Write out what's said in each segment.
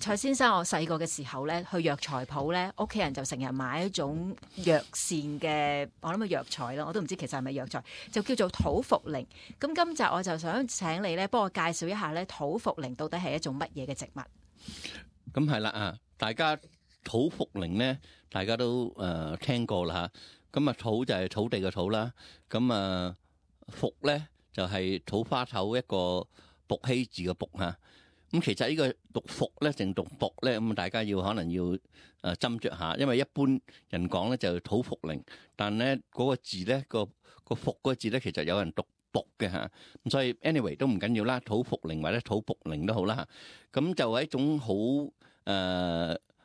蔡先生，我細個嘅時候咧，去藥材鋪咧，屋企人就成日買一種藥膳嘅，我諗嘅藥材啦，我都唔知其實係咪藥材，就叫做土茯苓。咁今集我就想請你咧，幫我介紹一下咧，土茯苓到底係一種乜嘢嘅植物？咁係啦啊，大家土茯苓咧，大家都聽過啦嚇。咁啊，土就係土地嘅土啦。咁啊，茯咧就係土花頭一個卜羲字嘅卜嚇。咁其實呢個讀茯咧定讀卜咧，咁大家可能要斟酌下，因為一般人講咧就土茯苓，但咧嗰個字咧個茯嗰個字咧，其實有人讀卜嘅嚇。咁所以 anyway 都唔緊要啦，土茯苓或者土卜苓都好啦嚇。咁就係一種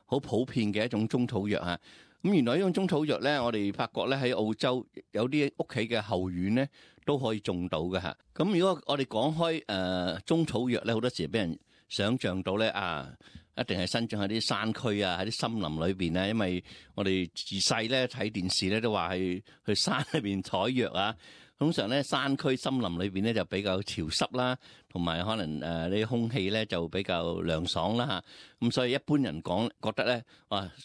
好普遍嘅一種中草藥嚇。咁原來呢種中草藥咧，我哋發覺咧喺澳洲有啲屋企嘅後院咧都可以種到嘅嚇。咁如果我哋講開中草藥咧，好多時俾人想像到咧一定係生長喺啲山區啊，喺啲森林裏邊啊，因為我哋自細咧睇電視咧都話係去山裏邊採藥啊。通常咧山區森林裏邊咧就比較潮濕啦，同埋可能呢啲空氣咧就比較涼爽啦嚇。咁所以一般人覺得咧，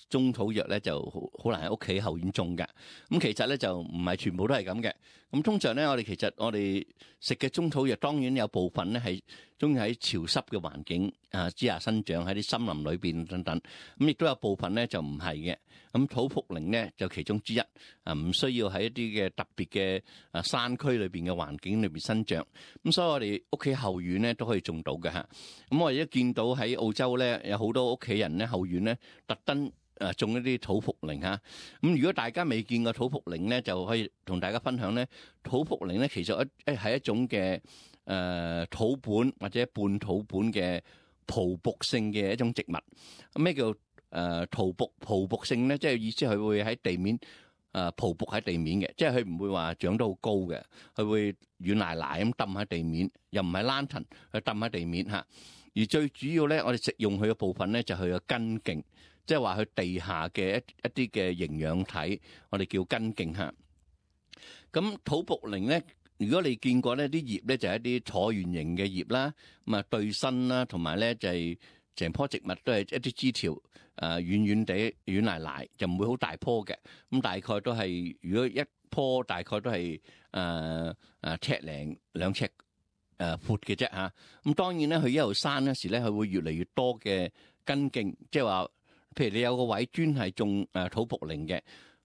中草藥咧就好難喺屋企後院種嘅。咁其實咧就唔係全部都係咁嘅。咁通常咧我哋食嘅中草藥，當然有部分咧係中意喺潮濕嘅環境之下生長，喺啲森林裏邊等等。咁亦都有部分咧就唔係嘅。咁土茯苓咧就其中之一，唔需要喺一啲嘅特別嘅山區裏邊嘅環境裏邊生長。咁所以我哋屋企後院咧都可以種到嘅嚇。咁我哋一見到喺澳洲咧有好多屋企人咧後院咧特登種一啲土茯苓嚇。咁如果大家未見過土茯苓咧，就可以同大家分享咧。土茯苓咧其實係一種嘅土本或者半土本嘅匍匐性嘅一種植物。咩叫匍匐性咧？即係意思佢會喺地面匍匐喺地面嘅，即係佢唔會話長得好高嘅，佢會軟賴賴咁揼喺地面，又唔係爛藤，佢揼喺地面嚇。而最主要咧，我哋食用佢嘅部分咧就係佢嘅根莖，即係話佢地下嘅一啲嘅營養體，我哋叫根莖嚇。咁土茯苓咧，如果你見過呢啲葉咧就係一啲橢圓形嘅葉啦，咁啊對身啦，同埋咧就係成棵植物都係一啲枝條軟軟地軟賴賴，就唔會好大棵嘅。咁大概都係，如果一棵大概都係尺零2尺闊嘅啫嚇。咁當然咧，佢一路生嗰時咧，佢會越嚟越多嘅根莖，即係話，譬如你有個位專係種土茯苓嘅，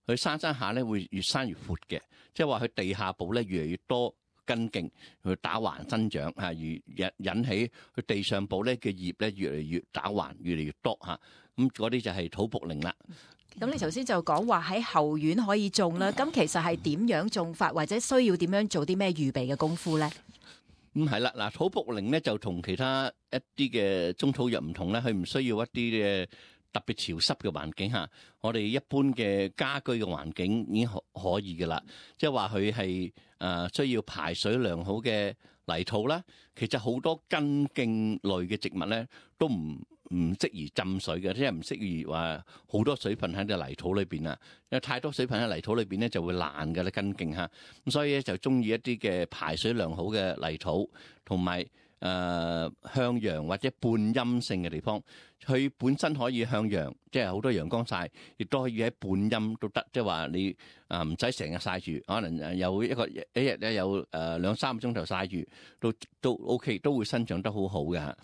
佢生下咧會越生越闊嘅，即係話佢地下部咧越嚟越多根莖去打橫生長嚇，而引起佢地上部咧嘅葉咧越嚟越打橫，越嚟越多嚇。咁嗰啲就係土茯苓啦。咁你頭先就講話喺後院可以種啦，咁其實係點樣種法，或者需要點樣做啲咩預備嘅功夫咧？係啦，嗱，土茯苓咧就同其他一啲嘅中草藥唔同咧，佢唔需要一啲嘅特別潮濕嘅環境嚇。我哋一般嘅家居嘅環境已經可以嘅啦，即係話佢係需要排水良好嘅泥土啦。其實好多根莖類嘅植物咧都唔適宜浸水嘅，即係唔適宜話好多水分喺啲泥土裏邊啊。因為太多水分喺泥土裏邊咧就會爛嘅咧根莖嚇。咁所以咧就中意一啲嘅排水良好嘅泥土，同埋向陽或者半陰性嘅地方。佢本身可以向陽，即係好多陽光曬，亦都可以喺半陰都得。即係話你唔使成日曬住，可能有一日咧有2-3個鐘頭曬住，都 OK， 都會生長得好好嘅。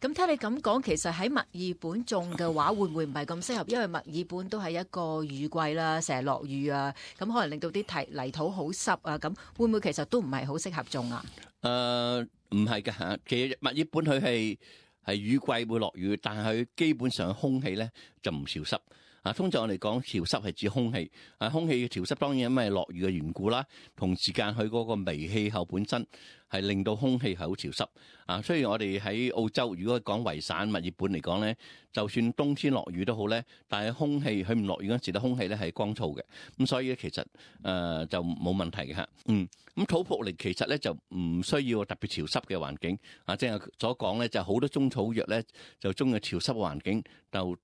咁聽你咁講，其實喺墨爾本種嘅話，會唔會唔係咁適合？因為墨爾本都係一個雨季啦，成日落雨啊，咁可能令到啲泥土好濕啊，咁會唔會其實都唔係好適合種啊？唔係㗎嚇，其實墨爾本佢係雨季會落雨，但係佢基本上空氣咧就唔潮濕。通常我哋講潮濕係指空氣，空氣嘅潮濕當然因為落雨嘅緣故啦，同時間佢嗰個微氣候本身係令到空氣係好潮濕。雖然我哋喺澳洲，如果講維省墨爾本嚟講咧，就算冬天落雨都好咧，但係空氣佢唔落雨嗰時咧，空氣咧係乾燥嘅，咁所以咧其實就冇問題嘅嚇。咁土茯苓其實咧就唔需要特別潮濕嘅環境。即係所講咧，就好多中草藥咧就中意潮濕嘅環境，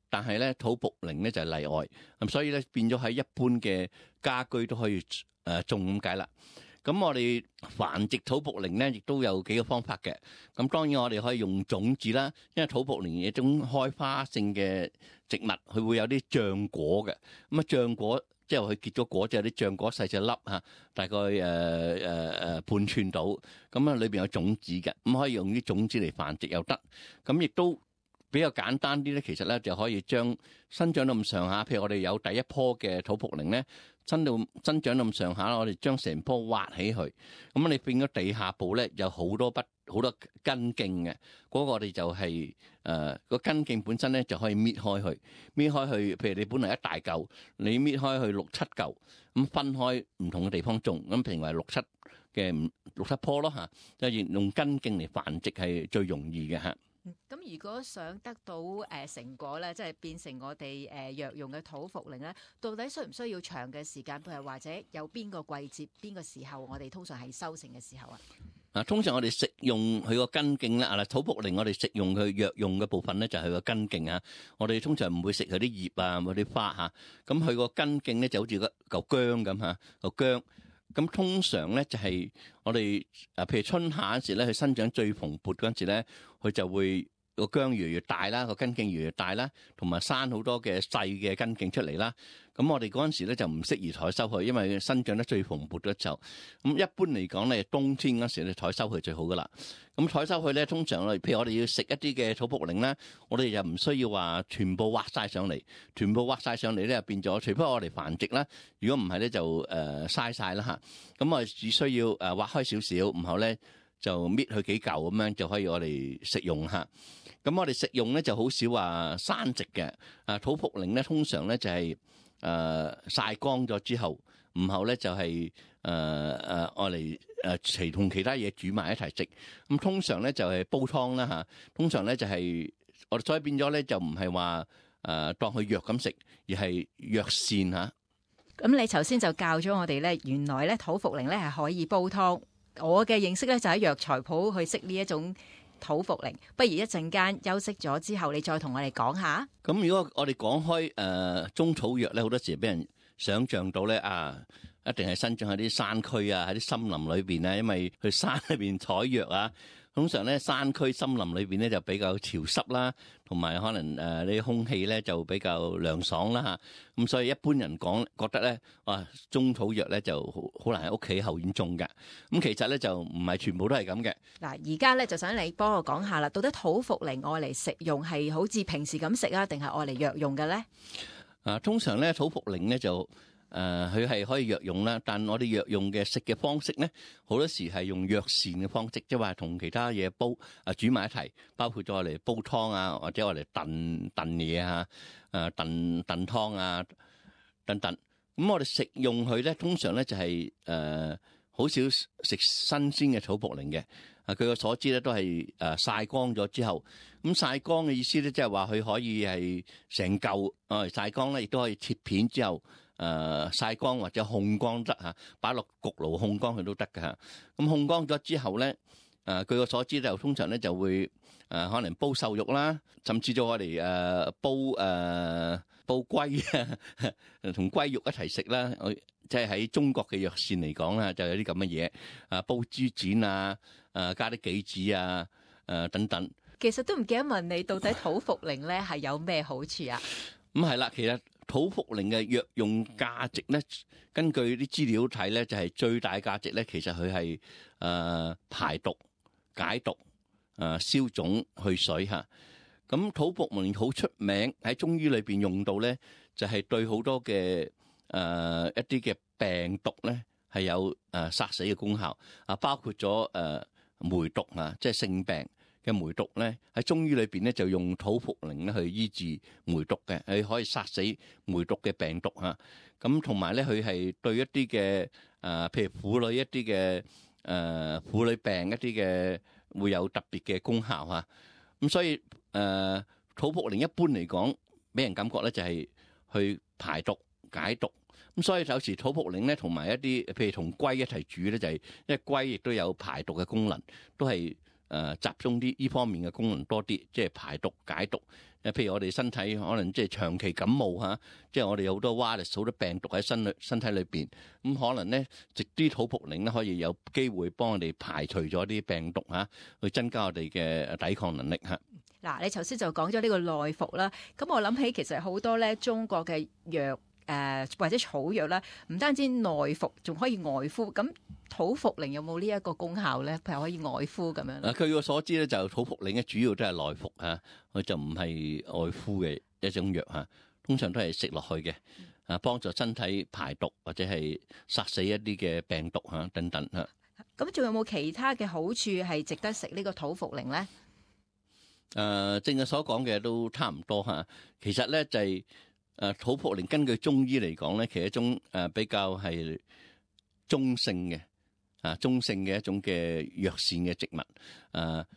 但係咧土茯苓咧就係例外。咁所以咧變咗喺一般嘅家居都可以種咁解啦。咁我哋繁殖土茯苓咧，亦都有幾個方法嘅。咁當然我哋可以用種子啦，因為土茯苓係一種開花性嘅植物，佢會有啲漿果嘅。咁啊漿果即係佢結咗果之後，啲漿果細細粒嚇，大概半寸到。咁啊裏邊有種子嘅，咁可以用啲種子嚟繁殖又得。咁亦都比較簡單啲咧，其實咧就可以將生長到咁上下，譬如我哋有第一棵嘅土茯苓咧，增長到咁上下，我哋將成棵挖起去，咁你變咗地下部咧有好多根莖嘅，嗰個我哋就係個根莖本身咧就可以搣開去，譬如你本來一大嚿，你搣開去6、7嚿，咁分開唔同嘅地方種，咁譬如話6、7棵咯嚇，就用根莖嚟繁殖係最容易嘅嚇。咁如果想得到成果咧，即係變成我哋藥用嘅土茯苓咧，到底需唔需要長嘅時間？譬如或者有邊個季節、邊個時候，我哋通常係收成嘅時候啊？通常我哋食用佢個根莖啦，土茯苓我哋食用佢藥用嘅部分咧，就係佢個根莖啊。我哋通常唔會食佢啲葉啊，嗰啲花嚇。咁佢個根莖咧就好似個嚿薑咁嚇，嚿薑。咁通常咧就係我哋譬如春夏嗰時咧，佢生長最蓬勃嗰陣時咧，佢就會個薑越嚟越大啦，個根莖越嚟越大啦，同埋生好多嘅細嘅根莖出嚟啦。咁我哋嗰陣時咧就唔適宜採收佢，因為生長得最蓬勃嘅時候。咁一般嚟講咧，冬天嗰時咧採收佢最好噶啦。咁採收佢咧，通常譬如我哋要食一啲嘅土茯苓咧，我哋又唔需要話全部挖晒上嚟，咧變咗，除非我哋繁殖啦。如果唔係咧，就嘥晒啦嚇。咁我哋只需要挖開少少，然後咧就搣佢幾嚿咁樣就可以我哋食用嚇。咁我哋食用咧就好少話生食嘅。土茯苓咧通常咧就係曬乾咗之後，然後咧就係我嚟同其他嘢煮埋一齊食。咁通常咧就係煲湯啦嚇。通常咧就係我哋所以變咗咧就唔係話當佢藥咁食，而係藥膳嚇。咁你頭先就教咗我哋咧，原來咧土茯苓咧係可以煲湯。我嘅認識咧就喺藥材鋪去識呢一種土茯苓。不如一陣間休息咗之後，你再同我哋講下。咁如果我哋講開中草藥咧，好多時俾人想像到咧一定係生長喺啲山區啊，喺啲森林裏邊啊，因為去山裏邊採藥啊。通常咧山區森林裏邊咧就比較潮濕啦，同埋可能呢啲空氣咧就比較涼爽啦嚇。咁所以一般人覺得咧，中草藥咧就好難喺屋企後院種嘅。咁其實咧就唔係全部都係咁嘅。嗱，而家咧就想你幫我講下啦，到底土茯苓愛嚟食用係好似平時咁食啊，定係愛嚟藥用嘅咧？通常咧土茯苓咧就佢係可以藥用啦，但我哋藥用嘅食嘅方式咧，好多時係用藥膳嘅方式，即係話同其他嘢煮埋一齊，包括咗我哋煲湯啊，或者我哋燉嘢啊，燉湯啊等等。咁我哋食用佢咧，通常咧就係好少食新鮮嘅土茯苓嘅。據我所知咧，都係曬乾咗之後，咁曬乾嘅意思咧，即係話佢可以係成嚿曬乾咧，亦都可以切片之後曬乾或者烘乾得嚇，擺落焗爐烘乾佢都得㗎嚇。咁烘乾咗之後咧，據我所知就通常咧就會可能煲瘦肉啦，甚至咗我哋煲龜啊，同龜肉一齊食啦。即係喺中國嘅藥膳嚟講啦，就有啲咁嘅嘢煲豬展啊，加啲杞子啊，等等。其實都唔記得問你，到底土茯苓咧係有咩好處啊？咁係啦，其實土茯苓嘅藥用價值咧，根據啲資料睇咧，就係最大價值咧，其實佢係排毒、解毒、消腫、去水嚇。咁土茯苓好出名喺中醫裏邊用到咧，就係對好多嘅一啲嘅病毒咧係有殺死嘅功效包括咗梅毒即係性病嘅梅毒咧，喺中醫裏邊咧就用土茯苓咧去醫治梅毒嘅，佢可以殺死梅毒嘅病毒咁同埋咧佢係對一啲嘅譬如婦女一啲嘅婦女病一啲嘅會有特別嘅功效咁所以土茯苓一般嚟講俾人感覺咧就係去排毒解毒。咁所以有時土茯苓咧同埋一啲譬如同龜一齊煮咧，就係因為龜亦都有排毒嘅功能，都係集中啲呢方面嘅功能多啲，即係排毒解毒。譬如我哋身體可能即係長期感冒嚇，即係我哋有好多 virus 好多病毒喺身體裏邊，咁可能咧食啲土茯苓咧可以有機會幫我哋排除咗啲病毒嚇，去增加我哋嘅抵抗能力嚇。嗱，你頭先就講咗呢個內服啦，咁我諗起其實好多咧中國嘅藥或者草藥啦，唔單止內服，仲可以外敷。咁土茯苓有冇呢一個功效咧？譬如可以外敷咁樣。據我所知咧，就土茯苓咧主要都係內服嚇，佢就唔係外敷嘅一種藥嚇，通常都係食落去嘅，幫助身體排毒或者係殺死一啲嘅病毒嚇等等嚇。咁仲有冇其他嘅好處係值得食呢個土茯苓咧？正係所講嘅都差唔多嚇。其實咧就係土茯苓根據中醫嚟講咧，其實一種比較係中性嘅中性嘅一種嘅藥膳嘅植物，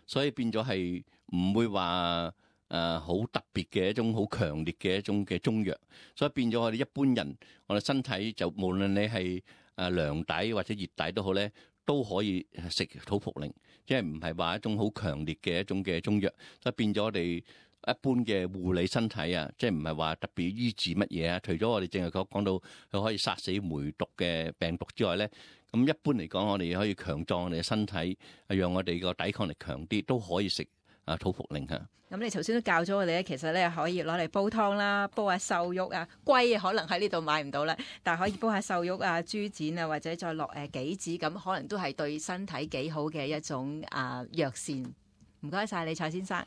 所以變咗係唔會話好特別嘅一種好強烈嘅一種嘅中藥，所以變咗我哋一般人，我哋身體就無論你係涼底或者熱底都好咧，都可以食土茯苓，即係唔係話一種好強烈嘅一種嘅中藥，所以變咗我哋一般嘅護理身體啊，即係唔係話特別醫治乜嘢啊？除咗我哋淨係講到佢可以殺死梅毒嘅病毒之外咧，咁一般嚟講，我哋可以強壯我哋嘅身體，讓我哋個抵抗力強啲，都可以食土茯苓嚇。咁你頭先都教咗我哋咧，其實咧可以攞嚟煲湯啦，煲下瘦肉啊，龜可能喺呢度買唔到啦，但係可以煲下瘦肉啊、豬展啊，或者再落杞子，咁可能都係對身體幾好嘅一種藥膳。唔該晒你，蔡先生。